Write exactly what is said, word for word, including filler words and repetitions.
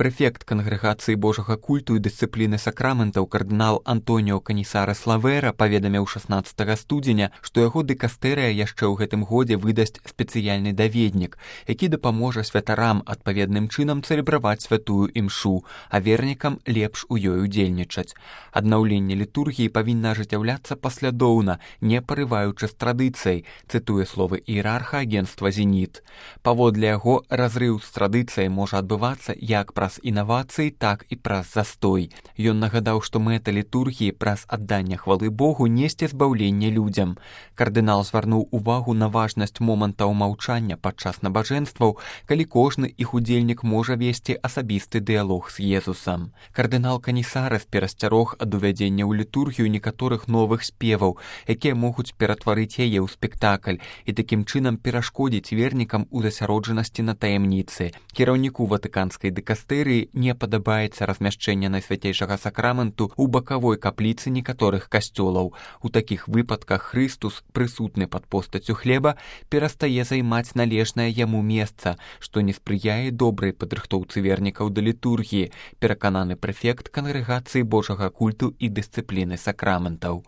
Прэфект Кангрэгацыі Божага культу і дысцыпліны сакраментаў кардынал Антоніо Канісара Славера паведаміў шаснаццатага студзеня, што яго дыкастэрыя яшчэ ў гэтым годзе выдасць спецыяльны даведнік, які дапаможа святарам адпаведным чынам цэлебраваць святую імшу, а вернікам лепш у ёй удзельнічаць. Аднаўленне літургіі павінна ажыццяўляцца паслядоўна, не парываючы з традыцыяй, цытуе словы іерарха агенцтва «Зеніт». Паводле яго, разрыў з традыцыяй можа адбывацца як праз інавацыі, так і праз застой. Ён нагадаў, што мэта літургіі праз адданне хвалы Богу несці збаўленне людзям. Кардынал звярнуў увагу на важнасць момантаў маўчання падчас набажэнстваў, калі кожны іх удзельнік можа весці асабісты дыялог з Езусам. Кардынал Канісарас перасцярог ад увядзення ў літургію некаторых новых спеваў, якія могуць ператварыць яе ў спектакль і такім чынам перашкодзіць вернікам у засяроджанасці на таямніцы. Кіраўніку ватыканскай дыкастэрыі не падабаецца размяшчэнне найсвяцейшага сакраменту ў бакавой капліцы некаторых касцёлаў. У такіх выпадках Хрыстус, прысутны пад постаццю хлеба, перастае займаць належнае яму месца, што не спрыяе добрай падрыхтоўцы вернікаў да літургіі, перакананы прэфект Кангрэгацыі Божага культу і дысцыпліны сакраментаў.